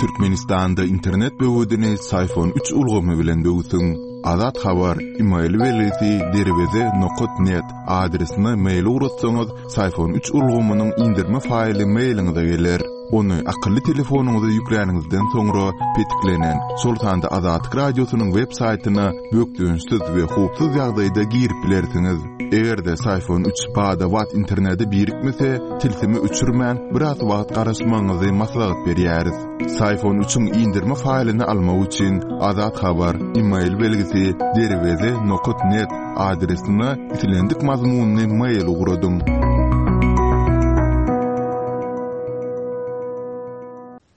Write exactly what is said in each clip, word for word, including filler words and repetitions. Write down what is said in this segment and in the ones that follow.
Türkmenistanda internet böwedini Syfon üç ulgamy bilen böwsüň. Azat Habar, email belgisi derweze nokat net adresine mail ugratsaňyz, Syfon üç ulgamynyň indirme faýly mailiňize geler. Ony akylly telefonyňyza ýükläniňizden soňra petiklenen, şol sanda Azatlyk Radiosynyň web saýtyna bökdençsiz we howpsuz ýagdaýda girip bilersiňiz. Eger-de Syfon üç bada-bat internete birikmese, tilsimi öçürmän, biraz wagt garaşmagyňyzy maslahat berýäris. Syfon üçiň indirme faýlyny almak üçin Azat Habar, email belgisi derweze nokat net adresine islendik mazmunly mail ugradyň.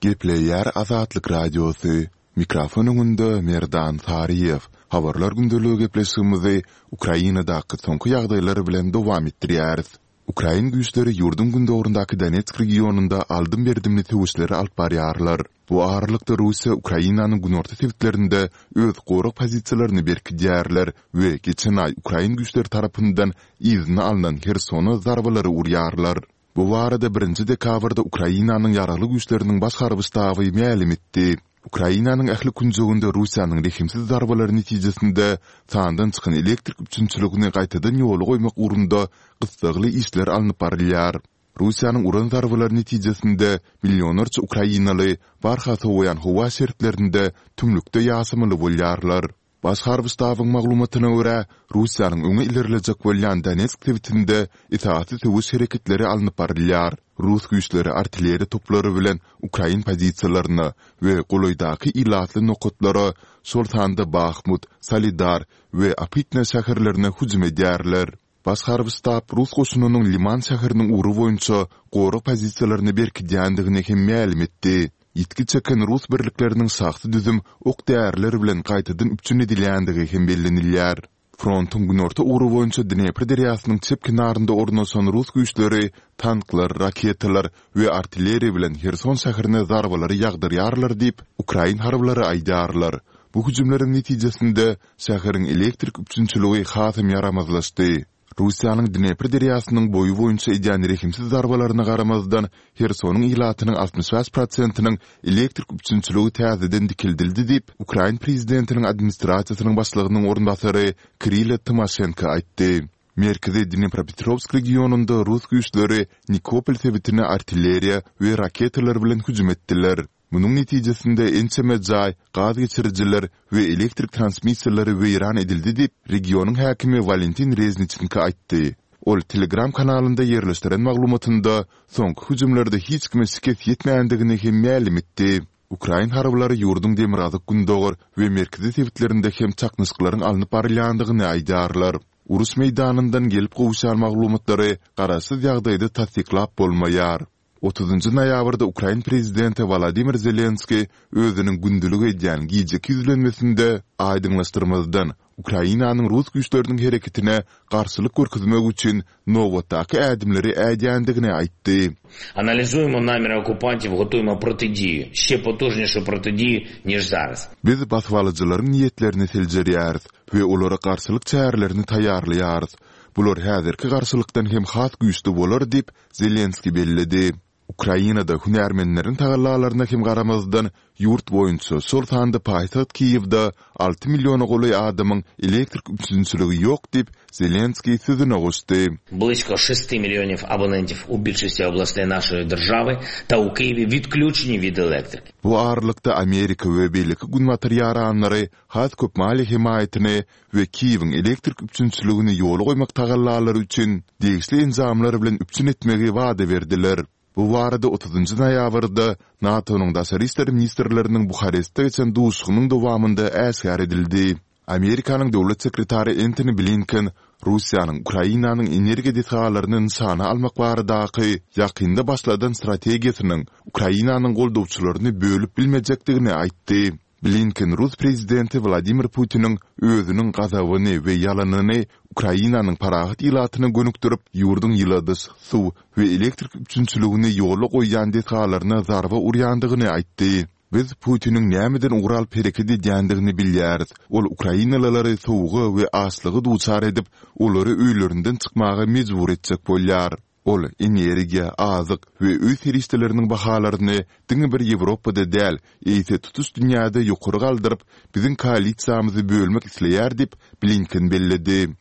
Gepleýär Azatlyk Radiosy. Mikrofon öňünde Merdan Saryýew. Habarlar gündeligi gepleşigimizi Ukrainadaky soňky ýagdaýlar bilen dowam etdirýäris. Ukrain güýçleri ýurduň gündogaryndaky Donetsk regionynda aldym-berdimli söweşleri alyp barýarlar. Bu aralykda Russiýa Ukrainanyň günorta sebitlerinde öz gorag pozisiýalaryny berkidýärler we geçen aý ukrain güýçleri tarapyndan yzyna alnan Hersona zarbalary urýarlar. Bu barada birinji dekabrda Ukrainanyň Ýaragly güýçleriniň Baş harby ştaby mälim etdi. Ukrainanyň ähli künjeginde Russiýanyň rehimsiz zarbalary netijesinde sandan çykan elektrik üpjünçiligini gaýtadan ýola goýmak ugrunda gyssagly işler alnyp barylýar. Russiýanyň uran zarbalary netijesinde millionlarça ukrainaly barha sowaýan howa şertlerinde tümlükde ýaşamaly bolýarlar. Baş harby ştabyň maglumatyna görä, Russiýanyň öňe ilerlejek bolýan Donetsk sebitinde esasy söweş hereketleri alnyp barylýar. Rus güýçleri artilleriýa toplary bilen ukrain pozisiýalaryna we golaýdaky ilatly nokatlara, şol sanda Bahmut, Solidar we Opytne şäherlerine hüjüm edýärler. Baş harby ştab rus goşunynyň Liman şäheriniň ugry boýunça gorag pozisiýalaryny berkidýändigini hem mälim etdi. Ýitgi çeken rus birlikleriniň şahsy düzüm ok-däriler bilen gaýtadan üpjün edilýändigi hem bellenilýär. Frontuň günorta ugry boýunça Dnepr derýasynyň çep kenarynda ornaşan rus güýçleri tanklar, raketalar we artilleriýa bilen Herson şäherine zarbalary ýagdyrýarlar diýip, ukrain harbylary aýdýarlar. Bu hüjümleriň netijesinde şäheriň elektrik üpjünçiligi hasam ýaramazlaşdy. Russiýanyň Dnepr derýasynyň boýy boýunça edýän rehimsiz zarbalaryna garamazdan, Hersonyň ilatynyň altmyş bäş prosentiniň elektrik üpjünçiligi täzeden dikeldildi diýip, ukrain prezidentiniň administrasiýasynyň başlygynyň orunbasary Kirilo Tymoşenko aýtdy. Merkezi Dnepropetrowsk regionynda rus güýçleri Nikopol sebitine artilleriýa we raketalar bilen hüjüm etdiler. Munuň netijesinde ençeme jaý, gaz geçirijiler we elektrik transmissiýalary weýran edildi diýip, regionyň häkimi Walentin Rezniçenko aýtdy. Ol Telegram kanalynda ýerleşdiren maglumatynda soňky hüjümlerde hiç kime şikes ýetmändigini hem mälim etdi. Ukrain harbylary ýurduň demirgazyk-gündogar we merkezi sebitlerinde hem çaknyşyklaryň alnyp barylýandygyny aýdýarlar. Uruş meýdanyndan gelip gowuşýan maglumatlary garaşsyz ýagdaýda tassyklap bolmaýar. Otuzynjy noýabrda ukrain prezidenti Wolodymyr Zelenskiý özüniň gündelik edýän gijeki ýüzlenmesinde aýdyňlaşdyrmazdan, Ukrainanyň rus güýçleriniň hereketine garşylyk görkezmek üçin nobatdaky ädimleri ädýändigini aýtdy. Analizujemo namiri okupantів, gotujemo protidiju, şe potujnişu protidiju niž zaraz. Biz basybalyjylaryň niýetlerini seljerýäris we olara garşylyk çärelerini taýýarlaýarys. Bular häzirki garşylykdan hem has güýçli bolar diýip, Zelenskiý belledi. Ukrainada hünärmenleriň tagallalaryna hem garamazdan, ýurt boýunça, şol sanda paýtagt Kiýewde alty milliona golaý adamyň elektrik üpjünçiligi ýok diýip, Zelenskiý sözüne goşdy. Blisko şesti millionov abonentov u bilşosti oblastey našeý držawy ta u Kiýewi witklýuçeni wid elektriki. Bu aralykda Amerika we beýleki günbatar ýaranlary has köp maliýe hemaýatyny we Kiýewiň elektrik üpjünçiligini ýola goýmak tagallalary üçin degişli enjamlar bilen üpjün etmegi wada berdiler. Bu barada otuzynjy noýabrda NATO-nyň daşary işler ministrleriniň Buharestde geçen duşuşygynyň dowamynda äşgär edildi. Amerikanyň döwlet sekretary Entoni Blinken Russiýanyň Ukrainanyň energiýa desgalaryny nyşana almak baradaky ýakynda başladan strategiýasynyň Ukrainanyň goldawçylaryny bölüp bilmejekdigini aýtdy. Blinken rus prezidenti Wladimir Putiniň özüniň gazabyny we ýalanyny Ukrainanyň parahat ilatyna gönükdirip, ýurduň ýyladyş, suw we elektrik üpjünçiligini ýola goýýan desgalaryna zarba urýandygyny aýtdy. Biz Putiniň nämeden ugur alyp hereket edýändigini bilýäris. Ol ukrainalylary sowuga we açlyga duçar edip, olary öýlerinden çykmaga mejbur etjek bolýar. Ol energiýa, azyk we öý serişdeleriniň bahalaryny diňe bir Ýewropada däl, eýse tutuş dünýäde ýokary galdyryp, biziň koalisiýamyzy bölmek isleýär diýip, Blinken belledi.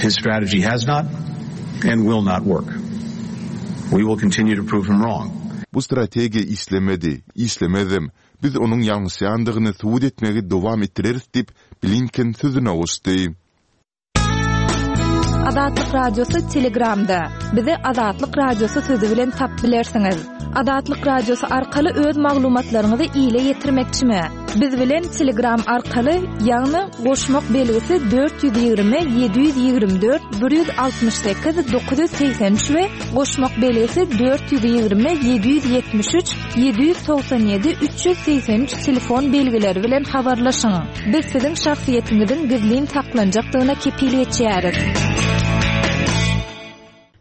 His strategy has not and will not work. We will continue to prove him wrong. Bu strategiýa işlemedi, işlemezem. Biz onuň ýalňyşýandygyny subut etmegi dowam etdireris diýip, Blinken sözüne goşdy. Azatlyk Radiosy Telegramda. Bizi Azatlyk Radiosy sözi bilen tapyp bilersiňiz. Azatlyk Radiosy arkaly öz maglumatlaryňyzy ile ýetirmekçimi? Biz bilen Telegram arkaly, ýagny goşmak belgisi dört ýüz ýigrimi ýedi ýüz ýigrimi dört bir ýüz altmyş sekiz dokuz ýüz segsen üç we goşmak belgisi dört ýüz ýigrimi ýedi ýüz ýetmiş üç ýedi ýüz togsan ýedi üç ýüz segsen üç telefon belgileri bilen habarlaşyň. Biz siziň şahsyýetiňiziň gizlin saklanjakdygyna kepil geçýäris.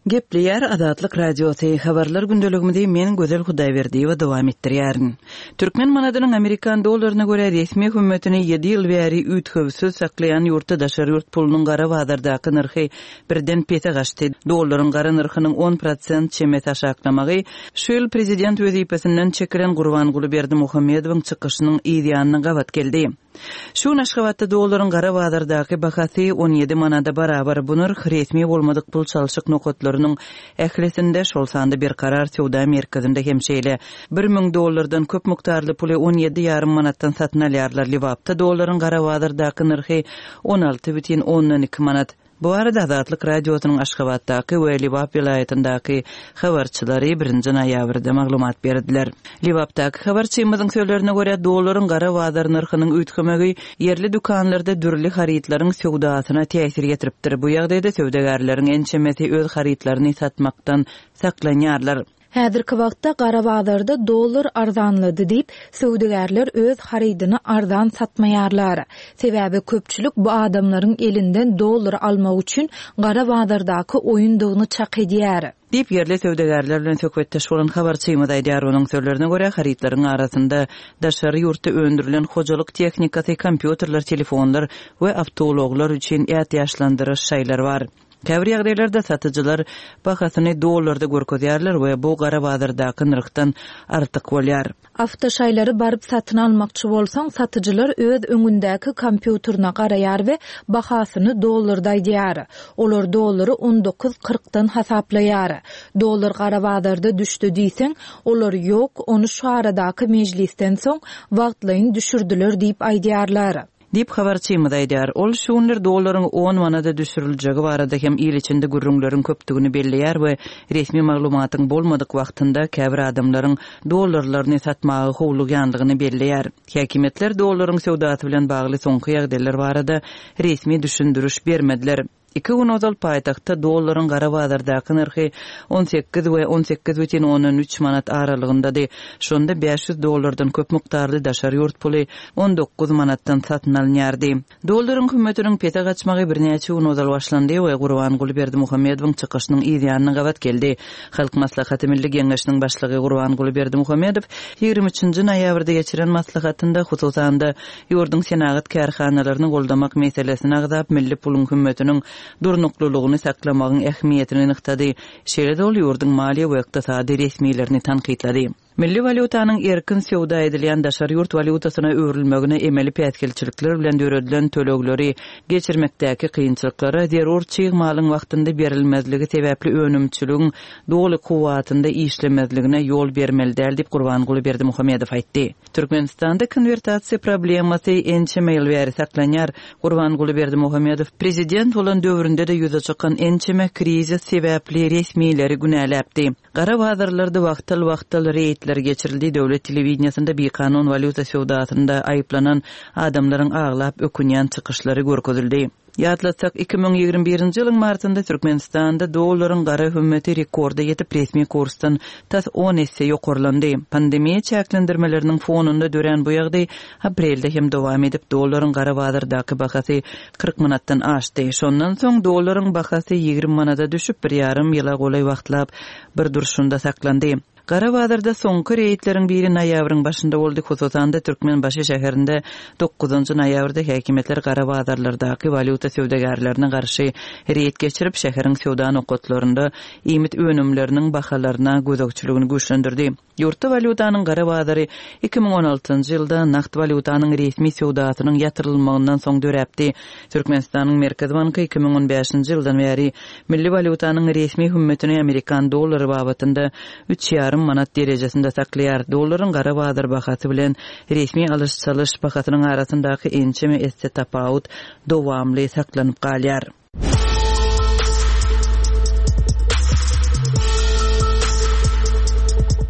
Gepleýär Azatlyk Radiosy, habarlar gündeligimizi men Gözel Hudaýberdiýewa dowam etdirýärin. Türkmen manadynyň amerikan dollaryna görä resmi hümmetini ýedi ýyl bäri üýtgewsiz saklaýan ýurtda daşary ýurt pulunyň gara bazardaky nyrhy birden pese gaçdy. Dollaryň gara nyrhynyň on prosent çemesi aşaklamagy şu ýyl prezident wezipesinden çekilen Gurbanguly Berdimuhamedowyň çykyşynyň yz ýanyna gabat geldi. Şu gün Aşgabatda dollaryň gara bazardaky bahasy on ýedi manada barabar. Bu nyrh resmi bolmadyk pul çalşyk nokatlarynyň ählisinde, şol sanda Berkarar söwda merkezinde hem şeýle. Bir müň dollardan köp mukdarly puly on ýedi ýarym manatdan satyn alýarlar. Lebapda dollaryň gara bazardaky nyrhy on alty bütin ondan iki manat. Bu barada Azatlyk Radiosynyň Aşgabatdaky we Lebap welaýatyndaky habarçylary birinji noýabrda maglumat berdiler. Lebapdaky habarçymyzyň sözlerine görä, dollaryň gara bazar nyrhynyň üýtgemegi ýerli dükanlarda dürli harytlaryň söwdasyna täsir ýetiripdir. Bu ýagdaýda söwdagärleriň ençemesi öz harytlaryny satmakdan saklanýarlar. Häzirki wagtda gara bazarda dollar arzanlady diýip, söwdagärler öz harydyny arzan satmaýarlar. Sebäbi köpçülik bu adamlaryň elinden dollar almak üçin gara bazardaky oýundygyny çak edýär. Diýip, ýerli söwdagärler bilen söhbetdeş bolan habarçymyz aýdýar. Onuň sözlerine görä, harytlaryň arasynda daşary ýurtda öndürilen hojalyk tehnikasy, kompýuterler, telefonlar we awtoulaglar üçin ätiýaçlandyryş şaýlar bar. Käbir ýagdaýlarda satyjylar bahasyny dollarda görkezýärler we bu gara bazardaky nyrhdan artyk bolýar. Awtoşaýlary baryp satyn almakçy bolsaň, satyjylar öz öňündäki kompýuterine garaýar we bahasyny dollarda aýdýar. Olar dollary on dokuz kyrkdan hasaplaýar. Dollar gara bazarda düşdi diýseň, olar ýok, ony şu aradaky mejlisden soň wagtlaýyn düşürdiler diýip aýdýarlar. Diýip habarçymyz aýdýar. Ol şu günler dollaryň on manada düşüriljegi barada hem il içinde gürrüňleriň köpdügini belleýär we resmi maglumatyň bolmadyk wagtynda käbir adamlaryň dollarlaryny satmaga howlugýandygyny belleýär. Häkimiýetler dollaryň söwdasy bilen bagly soňky ýagdaýlar barada resmi düşündiriş bermediler. Iki gün ozal paýtagtda dollaryň gara bazardaky nyrhy on sekiz we on sekiz bütin ondan üç manat aralygyndady. Şonda bäş ýüz dollardan köp mukdarly daşary ýurt puly on dokuz manatdan satyn alynýardy. Dollaryň hümmetiniň pese gaçmagy birnäçe gün ozal başlandy we Gurbanguly Berdimuhamedowyň çykyşynyň yz ýanyna gabat geldi. Halk Maslahaty Milli Geňeşiniň başlygy Gurbanguly Berdimuhamedow ýigrimi üçünji noýabrda geçiren maslahatynda hususan-da ýurduň senagat kärhanalaryny goldamak meselesini agzap, milli puluň hümmetiniň durnuklylygyny saklamagyň ähmiýetini nygtady. Şeýle-de ol ýurduň maliýe we ykdysady resmilerini tankytlady. Milli walýutanyň erkin söwda edilýän daşary ýurt walýutasyna öwrülmegine emeli päsgelçilikler bilen döredilen tölegleri geçirmekdäki kynçylyklara zerur çig malyň wagtynda berilmezligi sebäpli önümçiligiň doly kuwwatynda işlemezligine ýol bermeli däl diýip Gurbanguly Berdimuhamedow aýtdy. Türkmenistanda konwertasiýa problemasy ençeme ýyl bäri saklanýar. Gurbanguly Berdimuhamedow prezident bolan döwründe de ýüze çykan ençeme krizis sebäpli resmileri günäläpdi. Gara bazarlarda wagtal-wagtal reýdler geçirildi. Döwlet telewideniýasynda bikanun walýuta söwdasynda aýyplanan adamlaryň aglap ökünýän çykyşlary görkezildi. Ýatlatsak, iki müň ýigrimi birinji ýylyň martynda Türkmenistanda dollaryň gara hümmeti rekorda ýetip resmi kursdan tas on esse ýokarlandy. Pandemiýa çäklendirmeleriniň fonunda dörän bu ýagdaý aprelde hem dowam edip, dollaryň gara bazardaky bahasy kyrk manatdan aşdy. Şondan soň dollaryň bahasy ýigrimi manada düşüp, bir ýarym ýyla golaý wagtlap bir durşunda saklandy. Gara bazarda soňky reýdleriň biri noýabryň başynda boldy. Hususan-da Türkmenbaşy şäherinde dokuzynjy noýabrda häkimiýetler gara bazarlardaky walýuta söwdagärlerine garşy reýd geçirip, şäheriň söwda nokatlarynda iýmit önümleriniň bahalaryna gözegçiligini güýçlendirdi. Ýurtda walýutanyň gara bazary iki müň on altynjy ýylda nagt walýutanyň resmi söwdasynyň ýatyrylmagyndan soň döräpdi. Türkmenistanyň Merkezi Banky iki müň on bäşinji ýyldan bäri milli walýutanyň resmi hümmetini amerikan dollary babatynda üç ýarym manat derejesinde saklaýar. Dollaryň gara bazar bahasy bilen resmi alyş-çalyş bahasynyň arasyndaky ençeme esse tapawut dowamly saklanyp galýar.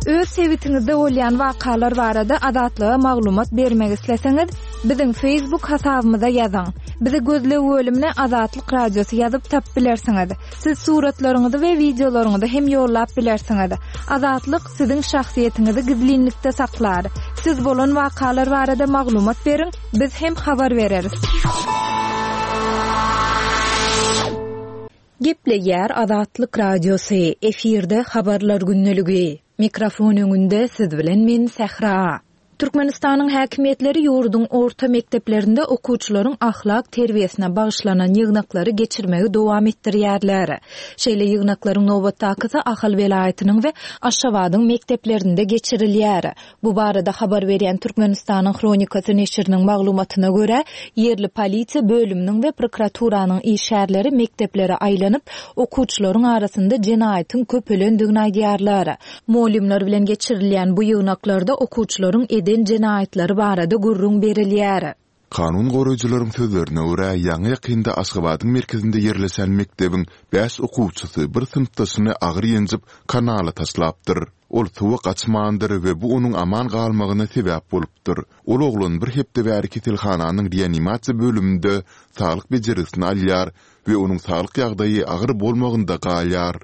Öz sebitiňizde bolýan wakalar barada Azatlyga maglumat bermek isleseňiz, biziň Facebook hasabymyza ýazyň. Bizi gözleg bölümine Azatlyk Radiosy ýazyp tap bilersiňiz. Siz suratlaryňyzy we wideolaryňyzy hem ýollap bilersiňiz. Azatlyk siziň şahsyýetiňizi gizlinlikde saklar. Siz bolan wakalar barada maglumat beriň, biz hem habar bereris. Gepleýär Azatlyk Radiosy, efirde habarlar gündeligi. Mikrofon öňünde siz bilen men Sähra. Türkmenistanyň häkimiýetleri ýurduň orta mekdeplerinde okuwçylaryň ahlak terbiýesine bagyşlanan ýygnaklary geçirmegi dowam etdirýärler. Şeýle ýygnaklaryň nobatdakysy Ahal welaýatynyň we Aşgabadyň mekdeplerinde geçirilýär. Bu barada habar berýän Türkmenistanyň Hronikasy neşiriniň maglumatyna görä, ýerli polisiýa bölüminiň we prokuraturanyň işgärleri mekdeplere aýlanyp, okuwçylaryň arasynda jenaýatyň köpelendigini aýdýarlar. Mugallymlar bilen geçirilýän bu ýygnaklarda okuwçylaryň eden jenaýatlary barada gürrüň berilýär. Kanun goraýjylaryň sözlerine görä, ýaňy ýakynda Aşgabadyň merkezinde ýerleşen mekdebiň bäş okuwçysy bir synpdaşyny agyr ýenjip kanala taşlapdyr. Ol suwa gaçmandyr we bu onuň aman galmagyna sebäp bolupdyr. Ol oglan bir hepde bäri keselhananyň reanimasiýa bölüminde saglyk bejergisini alýar we onuň saglyk ýagdaýy agyr bolmagynda galýar.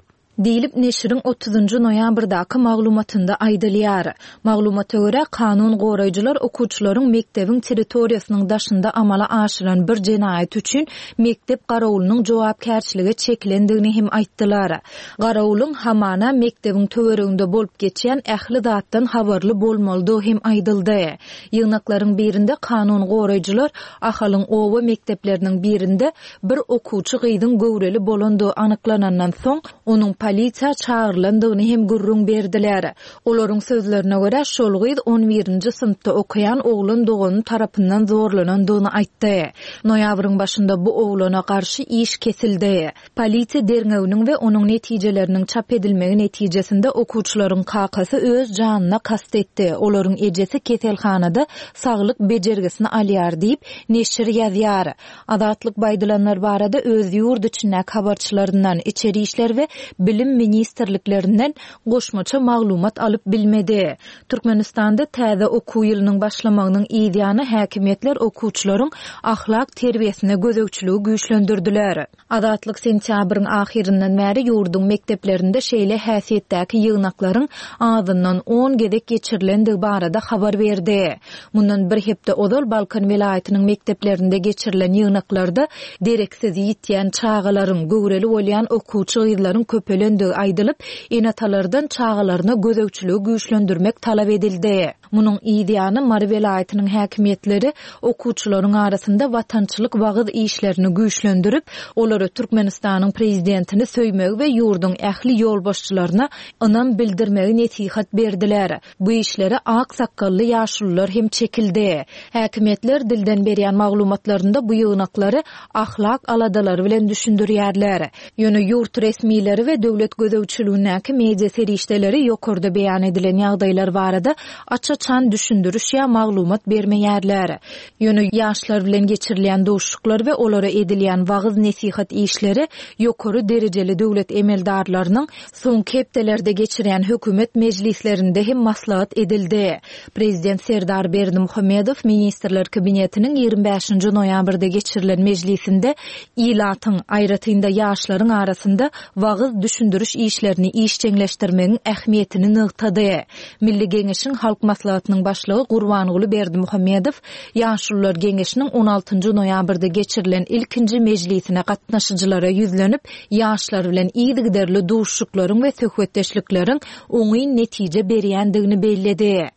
Diýlip neşiriň otuzynjy noýabrdaky maglumatynda aýdylýar. Maglumata görä, kanun goraýjylar okuwçylaryň mekdebiň territoriýasynyň daşynda amala aşyran bir jenaýat üçin mekdep garawulynyň jogapkärçilige çekilendigini hem aýtdylar. Garawulyň hamana mekdebiň töwereginde bolup geçýän ähli zatdan habarly bolmalydygy hem aýdyldy. Ýygnaklaryň birinde kanun goraýjylar Ahalyň oba mekdepleriniň birinde bir okuwçy gyzyň göwreli bolandygy anyklanandan soň onuň polisiýa çagyrylandygyny hem gürrüň berdiler. Olaryň sözlerine görä, şol gyz on birinji synpda okaýan oglan dogany tarapyndan zorlanandygyny aýtdy. Noýabryň başynda bu oglana garşy iş kesildi. Polisiýa derňewiniň we onuň netijeleriniň çap edilmegi netijesinde okuwçylaryň kakasy öz janyna kast etdi. Olaryň ejesi keselhanada saglyk bejergisini alýar diýip neşir ýazýar. Azatlyk baýdylanlar barada öz ýurt içindäki habarçylaryndan, içeri işler we bilim ministrliklerinden goşmaça maglumat alyp bilmedi. Türkmenistanda täze okuw ýylynyň başlamagynyň ýany häkimiýetler okuwçylaryň ahlak terbiýesine gözegçiligi güýçlendirdiler. Azatlyk sentýabryň ahyryndan bäri ýurduň mekdeplerinde şeýle häsiýetdäki ýygnaklaryň azyndan on gezek geçirilendigi barada habar berdi. Mundan bir hepde ozal Balkan welaýatynyň mekdeplerinde geçirilen ýygnaklarda dereksiz ýitýän çagalaryň, göwreli bolýan okuwçy gyzlaryň köpelendigi aýdylyp, ene-atalardan çagalaryna gözegçiligi güýçlendirmek talap edildi. Munuň ýany Mary welaýatynyň häkimiýetleri okuwçylaryň arasynda watançylyk wagyz işlerini güýçlendirip, olara Türkmenistanyň prezidentini söýmegi we ýurduň ähli ýolbaşçylaryna ynam bildirmegi nesihat berdiler. Bu işlere ak sakgally ýaşulular hem çekildi. Häkimiýetler dilden berýän maglumatlarynda bu ýygnaklary ahlak aladalary bilen düşündirýärler. Ýöne ýurt resmileri we döwlet gözegçiligindäki media serişdeleri ýokarda beýan edilen ýagdaýlar barada aç-açan düşündiriş ýa maglumat bermeýärler. Ýöne ýaşlar bilen geçirilýän duşuşyklar we olara edilýän wagyz nesihat işleri ýokary derejeli döwlet emeldarlarynyň soňky hepdelerde geçirýän hökümet mejlislerinde hem maslahat edildi. Prezident Serdar Berdimuhamedow Ministrler Kabinetiniň ýigrimi bäşinji noýabrda geçirilen mejlisinde ilatyň, aýratynda ýaşlaryň arasynda wagyz düşündiriş işlerini işjeňleşdirmegiň ähmiýetini nygtady. Milli Geňeşiň Halk Maslahatynyň Maslahatynyň Başlygy Gurbanguly Berdimuhamedow Ýaşulular geňeşiniň on altynjy noýabrda geçirilen ilkinji mejlisine gatnaşyjylara ýüzlenip, ýaşlar bilen yzygiderli duşuşyklaryň we söhbetdeşlikleriň oňyn netije berýändigini belledi.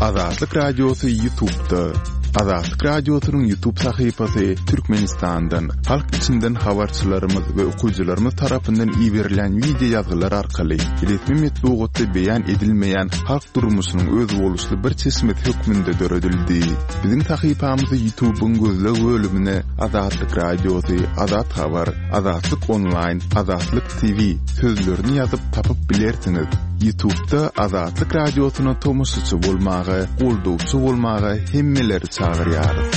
Azatlyk Radiosy YouTube'da. Azatlyk Radiosynyň YouTube sahypasy Türkmenistandan, halk içinden habarçylarymyz we okyjylarymyz tarapyndan iberilen wideo ýazgylar arkaly resmi metbugatda beýan edilmeýän halk durmuşynyň özboluşly bir çeşmesi hökmünde döredildi. Biziň sahypamyzy YouTube'yň gözleg bölümine Azatlyk Radiosy, Azat Habar, Azatlyk Online, Azatlyk T V sözlerini ýazyp tapyp bilersiňiz. YouTube'da Azatlyk Radiosyna tomaşaçy bolmaga, goldawçy bolmaga hemmeleri çagyrýarys.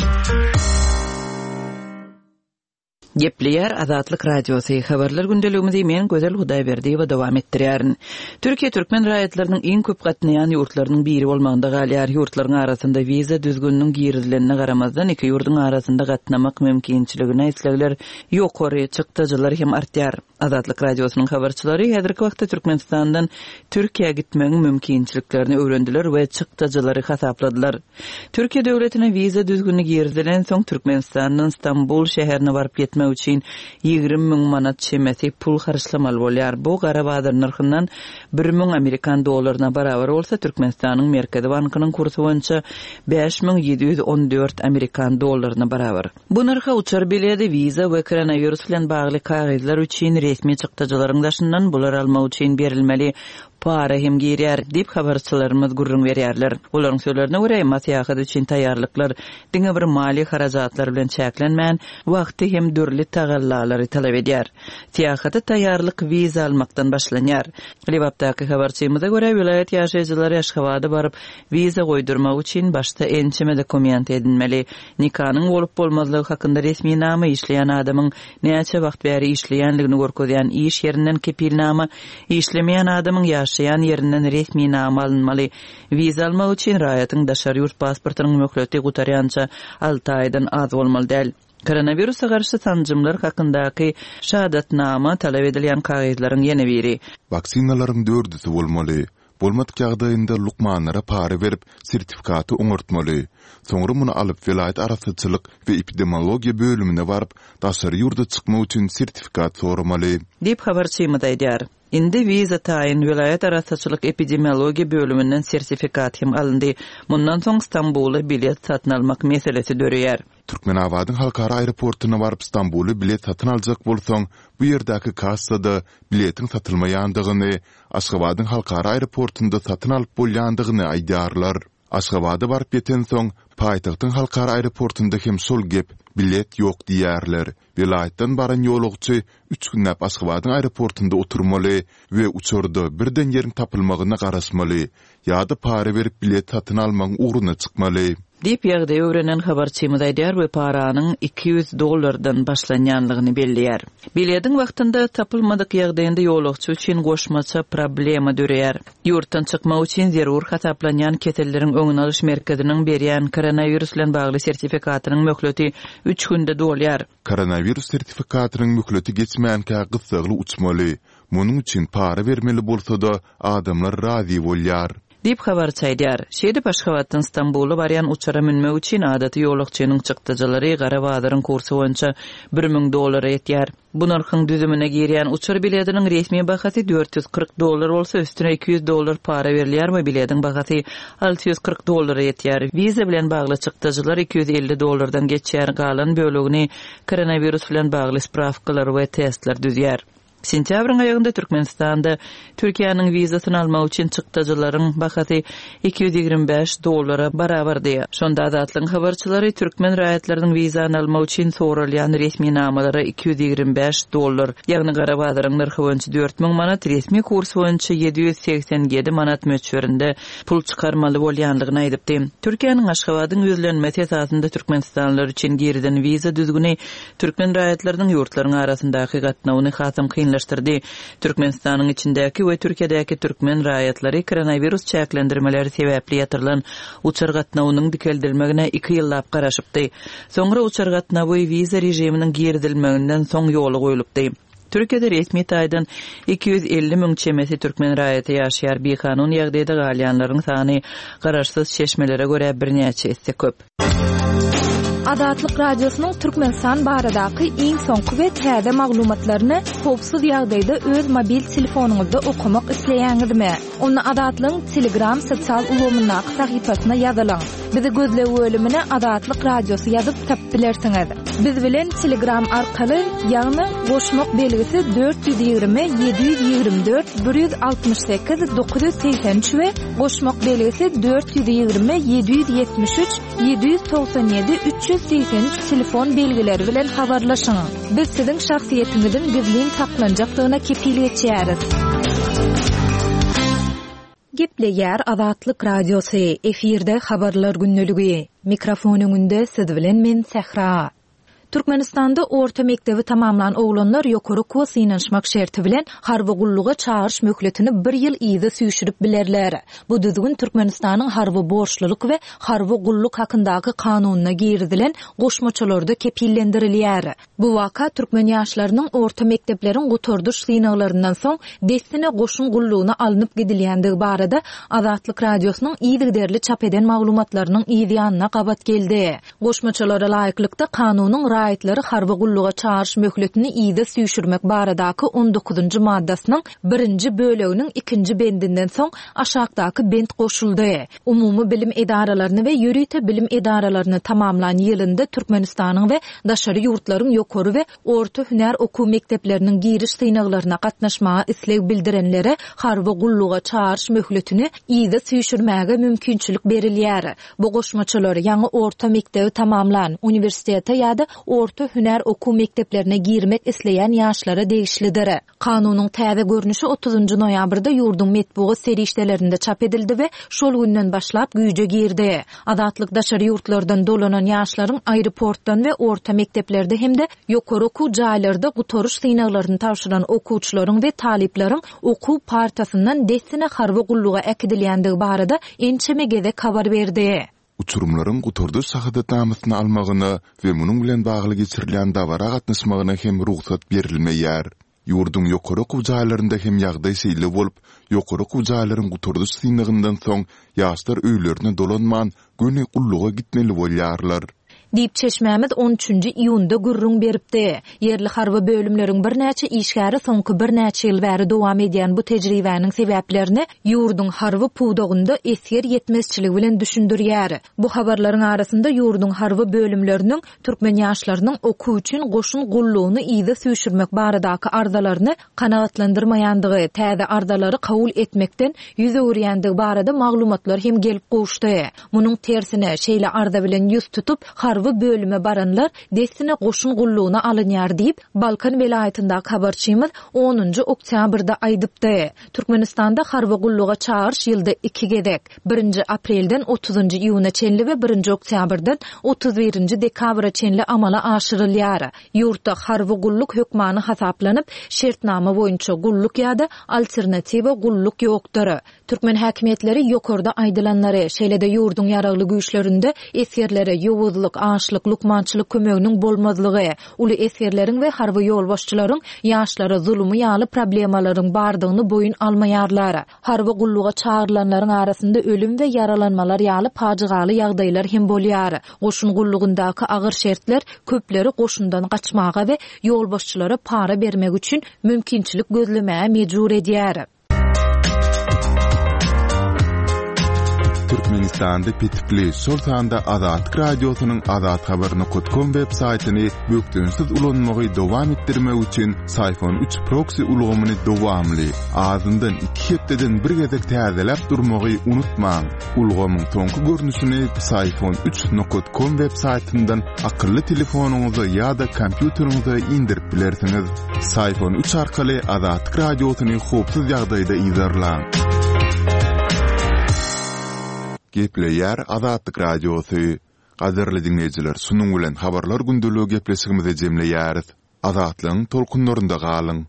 Gepleýär Azatlyk Radiosy. Habarlar gündeligimizi men Gözel Hudaýberdiýewa dowam etdirýärin. Türkiýe türkmen raýatlarynyň iň köp gatnaýan ýurtlarynyň biri bolmagynda galýar. Ýurtlaryň arasynda wiza düzgüniniň girizilenine garamazdan iki ýurduň arasynda gatnamak mümkinçiligine islegler ýokary, çykdajylar hem artýar. Azatlyk Radiosynyň habarçylary häzirki wagtda Türkmenistandan Türkiýä gitmegiň mümkinçiliklerini öwrendiler we çykdajylary hasapladylar. Türkiýe döwletine wiza düzgüni girizilen soň Türkmenistandan Stambul şäherine baryp ýetmek üçin ýigrimi müň manat çemesi pul harçlamaly bolýar. Bu gara bazar nyrhyndan bir müň amerikan dollaryna barabar bolsa Türkmenistanyň Merkezi Bankynyň kursy boýunça bäş müň ýedi ýüz on dört amerikan dollaryna barabar. Bu nyrha uçar bileti, wiza we koronawirus bilen bagly kagyzlar üçin resmi çykdajylaryň daşyndan bular almak üçin berilmeli para hem girýär diýip habarçylarymyz gürrüň berýärler. Olaryň sözlerine görä, emma syýahat üçin taýýarlyklar diňe bir maliýe harajatlar bilen çäklenmän, wagty hem dürli tagallalary talap edýär. Syýahata taýýarlyk wiza almakdan başlanýar. Lebapdaky habarçymyza görä, welaýat ýaşaýjylary Aşgabada baryp wiza goýdurmak üçin başda ençeme dokument edinmeli. Nikanyň bolup bolmazlygy hakynda resminama işleýän adamyň näçe wagt bäri işleýänligini görkezýän iş ýerinden kepilnama, işlemeýän adamyň ýaşaýan ýerinden resminama alynmaly. Wiza almak üçin raýatyň daşary ýurt pasportynyň möhleti gutarýança alty aýdan az bolmaly däl. Koronawirusa garşy sanjymlar hakyndaky şahadatnama talap edilýän kagyzlaryň ýene biri. Waksinalaryň dördüsi bolmaly. Bolmadyk ýagdaýynda lukmanlara para berip sertifikaty oňartmaly. Soňra muny alyp welaýat arassaçylyk we epidemiologiýa bölümine baryp daşary ýurda çykmak üçin sertifikat soramaly. Diýip habarçymyz aýdýar. Indi wiza taýyn welaýat arassaçylyk epidemiologiýa bölüminden sertifikat hem alyndy. Mundan soň Stambula bilet satyn almak meselesi döreýär. Türkmenabadyň halkara aeroportuna baryp Stambula bilet satyn aljak bolsaň, bu ýerdäki kassada biletiň satylmaýandygyny, Aşgabadyň halkara aeroportunda satyn alyp bolýandygyny aýdýarlar. Aşgabada baryp ýeten soň, paýtagtyň halkara aeroportunda hem şol gep, bilet ýok diýärler. Welaýatdan baran ýolagçy üç günläp Aşgabadyň aeroportunda oturmaly we uçarda birden ýeriň tapylmagyna garaşmaly ýa-da para berip bilet satyn almagyň ugruna çykmaly. Diýip ýagdaýy öwrenen habarçymyz aýdýar we paranyň iki ýüz dollardan başlanýanlygyny belleýär. Biletiň wagtynda tapylmadyk ýagdaýynda ýolagçy üçin goşmaça problema döreýär. Ýurtdan çykmak üçin zerur hasaplanýan keselleriň öňüni alyş merkeziniň berýän koronawirus bilen bagly sertifikatynyň möhleti üç günde dolýar. Koronawirus sertifikatynyň möhleti geçmänkä gyssagly uçmaly. Munuň üçin para bermeli bolsa-da adamlar razy bolýar. Diýip habarçy aýdýar. Şeýdip Aşgabatdan Stambula barýan uçara münmek üçin adaty ýolagçynyň çykdajylary gara bazaryň kursy boýunça bir müň dollara ýetýär. Bu nyrhyň düzümine girýän uçar biletiniň resmi bahasy dört ýüz kyrk dollar bolsa üstüne iki ýüz dollar para berilýär we biletiň bahasy alty ýüz kyrk dollara ýetýär. Wiza bilen bagly çykdajylar iki ýüz elli dollardan geçýär. Galan bölegini koronawirus bilen bagly spravkalar we testler düzýär. Sentýabryň aýagynda Türkmenistanda Türkiýäniň wizasyny almak üçin çykdajylaryň bahasy iki ýüz ýigrimi bäş dollara barabardy. Şonda Azatlygyň habarçylary türkmen raýatlarynyň wizany almak üçin soralýan resminamalara iki ýüz ýigrimi bäş dollar, ýagny gara bazaryň nyrhy boýunça dört müň manat, resmi kurs boýunça ýedi ýüz segsen ýedi manat möçberinde pul çykarmaly bolýanlygyny aýdypdy. Türkiýäniň Aşgabadyň ýüzlenmesi esasynda Türkmenistanlylar üçin girilen wiza düzgüni türkmen raýatlarynyň ýurtlaryň arasyndaky gatnawyny hasam kynlaşdyrdy. Türkmenistanyň içindäki we Türkiýedäki türkmen raýatlary koronawirus çäklendirmeleri sebäpli ýatyrylan uçar gatnawynyň dikeldilmegine iki ýyllap garaşypdy. Soňra uçar gatnawy wiza režiminiň girizilmeginden soň ýola goýlupdy. Türkiýede resmi taýdan iki ýüz elli müň çemesi türkmen raýaty ýaşaýar, bikanun ýagdaýda galýanlaryň sany garaşsyz çeşmelere görä birnäçe esse köp. Azatlyk Radiosynyň Türkmenistan baradaky iň soňky we täze maglumatlaryny howpsuz ýagdaýda öz mobil telefonyňyzda okamak isleýäňizmi? Onda Azatlygyň Telegram sosial ulgamyndaky sahypasyna ýazylyň. Bizi gözleg bölümine Azatlyk Radiosy ýazyp tapyp bilersiňiz. Biz bilen Telegram arkaly, ýagny goşmak belgisi dört ýüz ýigrimi ýedi ýüz ýigrimi dört bir ýüz altmyş sekiz dokuz ýüz segsen üç we goşmak belgisi dört ýüz ýigrimi ýedi ýüz ýetmiş üç ýedi ýüz togsan ýedi üç ýüz segsen üç telefon belgileri bilen habarlaşyň. Biz siziň şahsyýetiňiziň gizlin saklanjakdygyna kepil geçýäris. Gepleýär Azatlyk Radiosy, efirde habarlar gündeligi. Mikrofon öňünde siz bilen men Sähra. Türkmenistanda orta mekdebi tamamlan oglanlar ýokary okuwa synanyşmak şerti bilen harby gulluga çagyryş möhletini bir ýyl yza süýşürip bilerler. Bu düzgün Türkmenistanyň harby borçlulyk we harby gulluk hakyndaky kanunyna girizilen goşmaçalarda kepillendirilýär. Bu waka türkmen ýaşlarynyň orta mekdepleriň gutardyş synaglaryndan soň dessine goşun gullugyna alnyp gidilýändigi barada Azatlyk Radiosynyň yzygiderli çap eden maglumatlarynyň yz ýanyna gabat geldi. Goşmaçalara laýyklykda kanunyň raýatlary harby gulluga çagyryş möhletini yza süýşürmek baradaky on dokuzynjy maddasynyň birinji böleginiň ikinji bendinden soň aşakdaky bent goşuldy. Umumy bilim edaralaryny we ýörite bilim edaralaryny tamamlan ýylynda Türkmenistanyň we daşary ýurtlaryň ýokary we orta hünär okuw mekdepleriniň giriş synaglaryna gatnaşmaga isleg bildirenlere harby gulluga çagyryş möhletini yza süýşürmäge mümkinçilik berilýär. Bu goşmaçalar ýaňy orta mekdebi tamamlan, uniwersitete ýa-da orta hünär okuw mekdeplerine girmek isleýän ýaşlara degişlidir. Kanunyň täze görnüşi otuzynjy noýabrda ýurduň metbugat serişdelerinde çap edildi we şol günden başlap güýje girdi. Azatlyk daşary ýurtlardan dolanan ýaşlaryň aeroportdan we orta mekdeplerde hem-de ýokary okuw jaýlarda gutaryş synaglaryny tabşyran okuwçylaryň we talyplaryň okuw partasyndan dessine harby gulluga äkidilýändigi barada ençeme gezek habar berdi. Uçurumlaryň gutardyş şahadatnamasyny almagyna we munuň bilen bagly geçirilýän dabara gatnaşmagyna hem rugsat berilmeýär. Ýurduň ýokary okuw jaýlarynda hem ýagdaý şeýle bolup, ýokary okuw jaýlaryň gutardyş synagyndan soň ýaşlar öýlerine dolanman göni gulluga gitmeli bolýarlar. Diýip çeşmämiz on üçünji iýunda gürrüň beripdi. Ýerli harby bölümleriň birnäçe işgäri soňky birnäçe ýyl bäri dowam edýän bu tejribäniň sebäplerini ýurduň harby pudagynda esger ýetmezçiligi bilen düşündirýär. Bu habarlaryň arasynda ýurduň harby bölümleriniň türkmen ýaşlarynyň okuw üçin goşun gullugyny yza süýşürmek baradaky arzalaryny kanagatlandyrmaýandygy, täze arzalary kabul etmekden ýüz öwürýändigi barada maglumatlar hem gelip gowuşdy. Munuň tersine şeýle arza bilen ýüz tutup harby bölüme baranlar dessine goşun gullugyna alynýar diýip Balkan welaýatyndaky habarçymyz onunjy oktýabrda aýdypdy. Türkmenistanda harby gulluga çagyryş ýylda iki gezek, birinji aprelden otuzynjy iýuna çenli we birinji oktýabrdan otuz birinji dekabra çenli amala aşyrylýar. Ýurtda harby gulluk hökmany hasaplanyp, şertnama boýunça gulluk ýa-da alternatiwa gulluk ýokdur. Türkmen häkimiýetleri ýokarda aýdylanlary, şeýle-de ýurduň ýaragly güýçlerinde esgerlere ýowuzlyk, açlyk, lukmançylyk kömeginiň bolmazlygy, uly esgerleriň we harby ýolbaşçylaryň ýaşlara zulumy ýaly problemalaryň bardygyny boýun almaýarlar. Harby gulluga çagyrylanlaryň arasynda ölüm we ýaralanmalar ýaly pajygaly ýagdaýlar hem bolýar. Goşun gullugyndaky agyr şertler köpleri goşundan gaçmaga we ýolbaşçylara para bermek üçin mümkinçilik gözlemäge mejbur edýär. Türkmenistanda petikli, şol sanda Azatlyk Radiosynyň azathabar nokta com web saýtyny bökdençsiz ulanmagy dowam etdirmek üçin Syfon üç proxy ulgamyny dowamly, azyndan iki hepdeden bir gezek täzeläp durmagy unutmaň. Ulgamyň soňky görnüşini Syfon üç nokta com web saýtyndan akylly telefonyňyza ýa-da kompýuteriňize indirip bilersiňiz. Syfon üç arkaly Azatlyk Radiosyny howpsuz ýagdaýda yzarlaň. Gepleýär Azatlyk Radiosy. Gadyrly dinleýjiler, şunuň bilen habarlar gündeligi gepleşigimizi jemleýäris. Azatlygyň tolkunlarynda galyň.